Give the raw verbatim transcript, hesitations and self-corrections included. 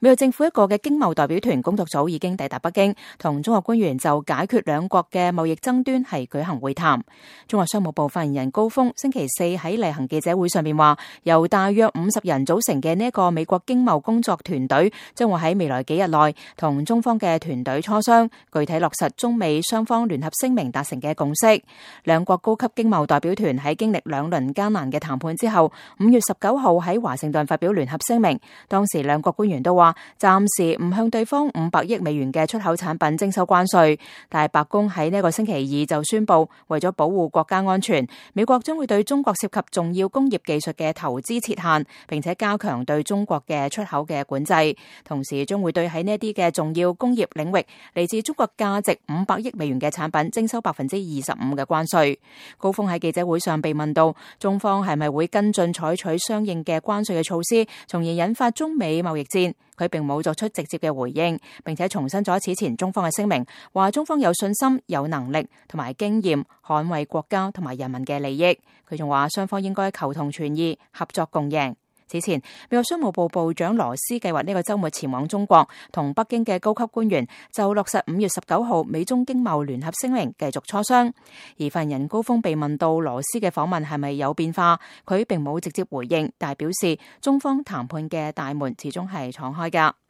美國政府一個嘅經貿代表團工作組已經抵達北京，同中國官員就解決兩國嘅貿易爭端係舉行會談。中國商務部發言人高峰星期四喺例行記者會上面話，由大約五十人組成嘅呢一個美國經貿工作團隊將會喺未來幾日內同中方嘅團隊磋商，具體落實中美雙方聯合聲明達成嘅共識。兩國高級經貿代表團喺經歷兩輪艱難嘅談判之後，五月十九號喺華盛頓發表聯合聲明，當時兩國官員都話暫時唔向對方五百億美元嘅出口產品徵收關稅，但係白宮喺呢個星期二就宣布，為咗保護國家安全，美國將會對中國涉及重要工業技術嘅投資設限，並且加強對中國嘅出口嘅管制，同時將會對喺呢啲嘅重要工業領域嚟自中國價值五百億美元嘅產品徵收百分之二十五嘅關稅。高峰喺記者會上被問到中方係咪會跟進採取相應嘅關稅嘅措施，從而引發中美貿易戰，佢並冇作出直接嘅回應，並且重申咗此前中方嘅聲明，話中方有信心、有能力同埋經驗捍衛國家同埋人民嘅利益。佢仲話雙方應該求同存異，合作共贏。此前，美國商務部部長羅斯計劃呢個週末前往中國，同北京嘅高級官員就落實五月十九號美中經貿聯合聲明繼續磋商。而發言人高峰被問到羅斯嘅訪問係咪有變化，佢並冇直接回應，但係表示中方談判嘅大門始終係敞開㗎。